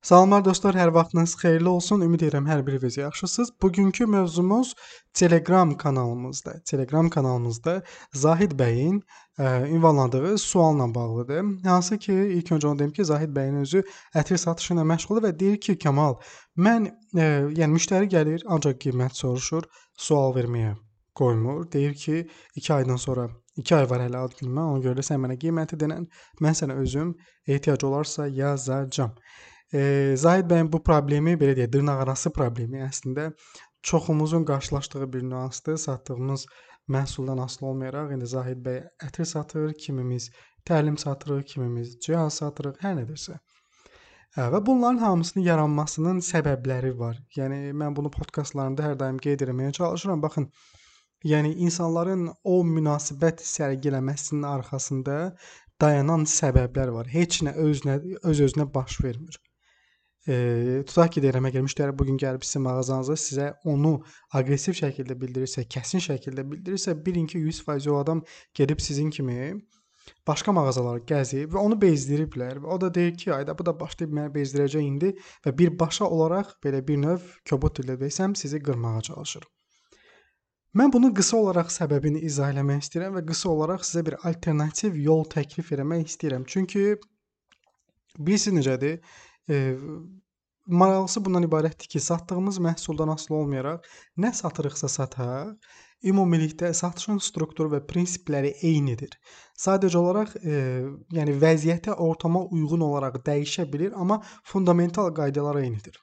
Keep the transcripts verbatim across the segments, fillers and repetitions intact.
Salamlar dostlar, hər vaxtınız xeyirli olsun. Ümid edirəm hər biriniz yaxşısınız. Bugünkü mövzumuz Telegram kanalımızda. Telegram kanalımızda Zahid bəyin ə, ünvanladığı sualla bağlıdır. Hansı ki, ilk öncə onu deyim ki, Zahid bəyin özü ətir satışı ilə məşğuldur və deyir ki, Kamal, mən ə, yəni müştəri gəlir, ancaq qiymət soruşur, sual verməyə qoymur. Deyir ki, iki aydan sonra iki ay var hələ ad günümə, ona görə də sən mənə qiyməti denən, mən sənə özüm ehtiyac olarsa yazacağam. E, Zahid bəyin bu problemi, belə deyək, dırnaqarası problemi əslində çoxumuzun qarşılaşdığı bir nüansdır. Satdığımız məhsuldan asılı olmayaraq, indi Zahid bəy ətir satır, kimimiz təlim satırıq, kimimiz cihaz satırıq, hər nədirsə. Hə, və bunların hamısının yaranmasının səbəbləri var. Yəni mən bunu podkastlarımda hər daim qeyd etməyə çalışıram. Baxın, yəni insanların o münasibət sərgiləməsinin arxasında dayanan səbəblər var. Heç nə özünə öz-özünə baş vermir. E, tutaq ki, deyirəm, əgər müştəri bugün gəlib sizin mağazanıza sizə onu aqressiv şəkildə bildirirsə, kəsin şəkildə bildirirsə, bilin ki, yüz faiz o adam gedib sizin kimi başqa mağazaları gəzib və onu bezdiriblər. Və o da deyir ki, ayda bu da başlayıb məni bezdirəcək indi və birbaşa olaraq belə bir növ kobud ilə desəm sizi qırmağa çalışır. Mən bunun qısa olaraq səbəbini izah eləmək istəyirəm və qısa olaraq sizə bir alternativ yol təklif etmək istəyirəm. Çünki bilirsiniz necədir? E, maraqlısı bundan ibarətdir ki, satdığımız məhsuldan asılı olmayaraq nə satırıqsa sataq, ümumilikdə satışın strukturu və prinsipləri eynidir. Sadəcə olaraq, e, yəni vəziyyətə, ortama uyğun olaraq dəyişə bilir, amma fundamental qaydalar eynidir.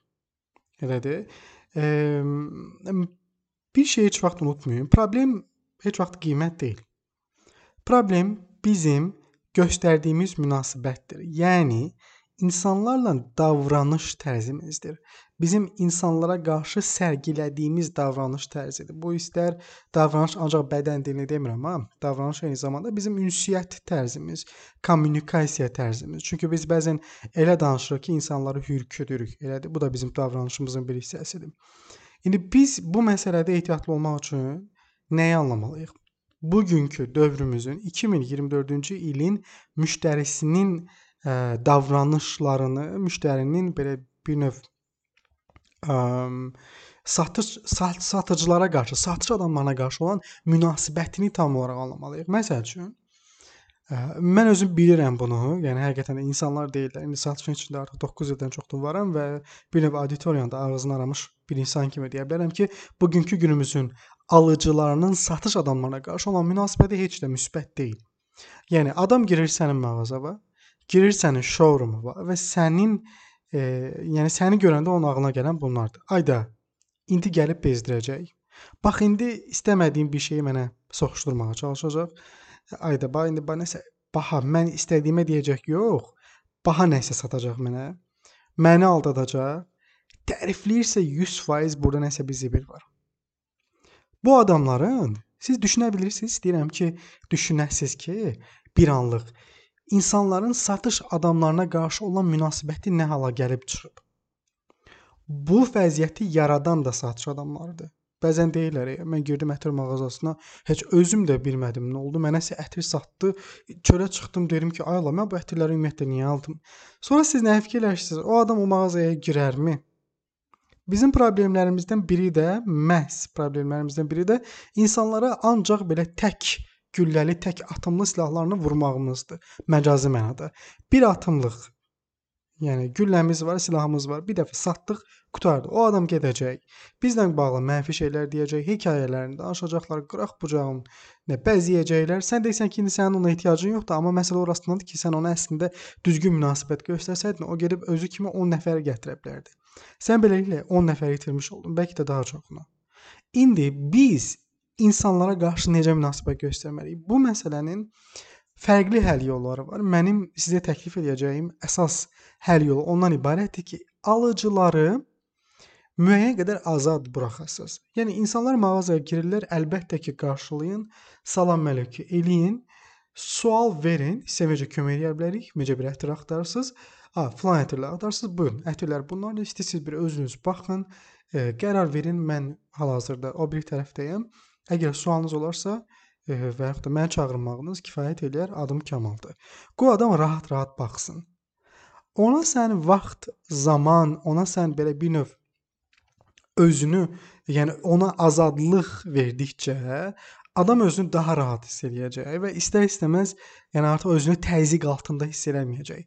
Elədir. E, bir şey heç vaxt unutmayın. Problem heç vaxt qiymət deyil. Problem bizim göstərdiyimiz münasibətdir. Yəni İnsanlarla davranış tərzimizdir. Bizim insanlara qarşı sərgilədiyimiz davranış tərzidir. Bu istər davranış ancaq bədən dilini demirəm, amma davranış eyni zamanda bizim ünsiyyət tərzimiz, kommunikasiya tərzimiz. Çünki biz bəzən elə danışırıq ki, insanları hürküdürük. Elədir. Bu da bizim davranışımızın bir hissəsidir. İndi biz bu məsələdə ehtiyatlı olmaq üçün nəyi anlamalıyıq? Bugünkü dövrümüzün iki min iyirmi dördüncü ilin müştərisinin ə, davranışlarını, müştərinin belə bir növ ə, satış sat, satıcılara qarşı, satış adamlarına qarşı olan münasibətini tam olaraq anlamalıyıq. Məsəl üçün, ə, mən özüm bilirəm bunu. Yəni həqiqətən də insanlar deyirlər. İndi satışın içində artıq doqquz ildən çoxdur varam və bir növ auditoriyada ağzını aramış bir insan kimi deyə bilərəm ki, bugünkü günümüzün alıcılarının satış adamlarına qarşı olan münasibəti heç də müsbət deyil. Yəni adam girir sənin mağazaya, girir sənin showroom'a və sənin e, yəni səni görəndə onun ağlına gələn bunlardır. Ayda indi gəlib bezdirəcək. Bax indi istəmədiyim bir şeyi mənə soxuşdurmağa çalışacaq. Ayda bax indi bax nəsə baha mən istədiyimə deyəcək, yox. Baha nəsə satacaq mənə. Məni aldadacaq. Tərifləyirsə yüz faiz burada nəsə bir zibil var. Bu adamların siz düşünə bilirsiniz, istəyirəm ki, düşünəsiz ki, bir anlıq İnsanların satış adamlarına qarşı olan münasibəti nə hala gəlib çıxıb. Bu vəziyyəti yaradan da satış adamlarıdır. Bəzən deyirlər, mən girdim ətir mağazasına, heç özüm də bilmədim nə oldu. Mənəsə ətir satdı, çölə çıxdım, dedim ki, ay Allah, mən bu ətirləri ümumiyyətlə niyə aldım? Sonra siz nə fikirləşirsiniz? O adam o mağazaya girərmi? Bizim problemlərimizdən biri də, məhz problemlərimizdən biri də insanlara ancaq belə tək gülləli, tək atımlı silahlarını vurmağımızdır. Məcazi mənada. Bir atımlıq, yəni gülləmiz var, silahımız var. Bir dəfə satdıq, qutardı. O adam gedəcək. Bizlə bağlı mənfi şeylər deyəcək, hekayələrini danışacaqlar, qıraq bucağın, nə bəziyəcəklər. Sən deyirsən ki, indi sənin ona ehtiyacın yoxdur, amma məsələ orasındadır ki, sən ona əslində düzgün münasibət göstərsəydin, o gedib özü kimi on nəfəri gətirə bilərdi. Sən beləliklə on nəfəri itirmiş oldun, bəlkə də daha çoxunu. İndi biz insanlara qarşı necə münasibət göstərməliyik? Bu məsələnin fərqli həll yolları var. Mənim sizə təklif edəcəyim əsas həll yolu ondan ibarətdir ki, alıcıları müəyyən qədər azad buraxasınız. Yəni insanlar mağazaya girirlər, əlbəttə ki, qarşılayın, salam əleyküm eləyin, sual verin, sizə necə kömək edə bilərik, necə bir ətir axtarırsınız, ha, filan ətirlər axtarırsınız, buyurun, ətirlər bunlardır, istəyirsiniz bir özünüz baxın, e, qərar verin, mən hal-hazırda o bir tərəfdəyəm. Əgər sualınız olarsa e, və yaxud da məni çağırmağınız kifayət eləyər, adım Kamaldır. Qoy adam rahat-rahat baxsın. Ona sən vaxt, zaman, ona sən belə bir növ özünü, yəni ona azadlıq verdikcə adam özünü daha rahat hiss eləyəcək və istər-istəməz, yəni artıq özünü təzyiq altında hiss eləməyəcək.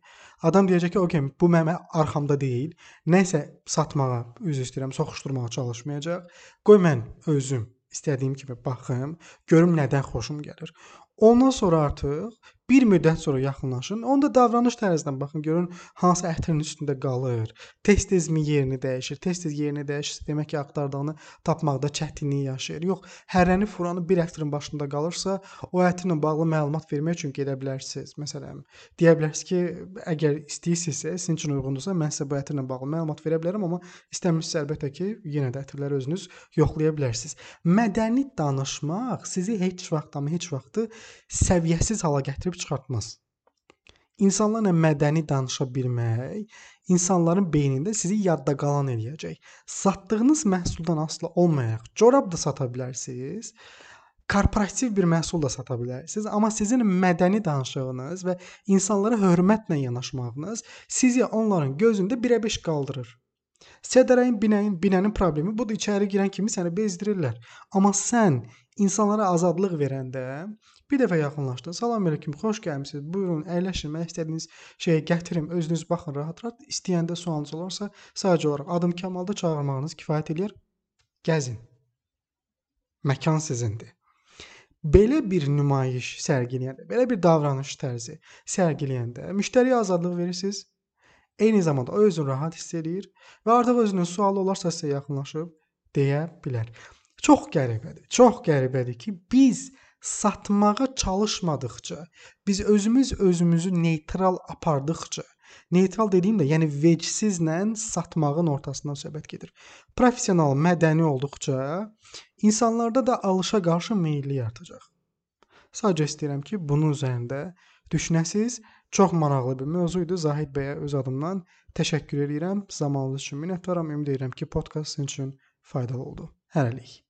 Adam deyəcək ki, "Okay, bu mənim arxamda deyil. Nəsə satmağa, üzr istəyirəm, soxuşdurmağa çalışmayacaq. Qoy mən özüm istədiyim kimi baxım, görüm nədən xoşum gəlir." Ondan sonra artıq bir müddət sonra yaxınlaşın. Onda davranış tərzindən baxın, görün hansı ətrin üstündə qalır. Tez-tezmi yerini dəyişir. Tez-tez yerini dəyişirsə, demək ki, axtardığını tapmaqda çətinlik yaşayır. Yox, hərrəni furanı bir ətrin başında qalırsa, o ətirlə bağlı məlumat vermək üçün gedə bilərsiniz. Məsələn, deyə bilərsiniz ki, əgər istəyirsinizsə, sizin üçün uyğundursa, mən sizə bu ətirlə bağlı məlumat verə bilərəm, amma istəmirsinizsə əlbəttə ki, yenə də ətirləri özünüz yoxlaya bilərsiniz. Mədəni danışmaq sizi heç vaxt, amma heç vaxtı səviyyəsiz hala gətirib çıxartmaz. İnsanlarla mədəni danışa bilmək, insanların beynində sizi yadda qalan eləyəcək. Satdığınız məhsuldan asılı olmayaraq, corab da sata bilərsiniz, korporativ bir məhsul da sata bilərsiniz, amma sizin mədəni danışığınız və insanlara hörmətlə yanaşmağınız sizi onların gözündə birə beş qaldırır. Sədərəyin, binəyin, binənin problemi budur, içəri girən kimi səni bezdirirlər. Amma sən insanlara azadlıq verəndə bir dəfə yaxınlaşdın. Salam əleykum, xoş gəlmisiniz. Buyurun, əyləşin. Mən istədiyiniz şeyə gətirim. Özünüz baxın rahat-rahat. İstəyəndə sualınız olarsa, sadəcə olaraq adım Kamalda çağırmağınız kifayət eləyər. Gəzin. Məkan sizindir. Belə bir nümayiş sərgiləyəndə, belə bir davranış tərzi sərgiləyəndə müştəriyə azadlıq verirsiniz. Eyni zamanda o özünü rahat hiss eləyir və artıq özünün sualı olarsa sizə yaxınlaşıb deyə bilər. Çox qəribədir. Çox qəribədir ki, biz satmağa çalışmadıqca, biz özümüz özümüzü neytral apardıqca, neytral dediyim də, yəni vecsizlə satmağın ortasından söhbət gedir. Professional, mədəni olduqca insanlarda da alışa qarşı meylli artacaq. Sadəcə istəyirəm ki, bunun üzərində düşünəsiniz. Çox maraqlı bir mövzuydu. Zahid bəyə öz adımdan təşəkkür edirəm. Zamanınız üçün minnətdaram. Ümid edirəm ki, podkast sizin üçün faydalı oldu. Hələlik.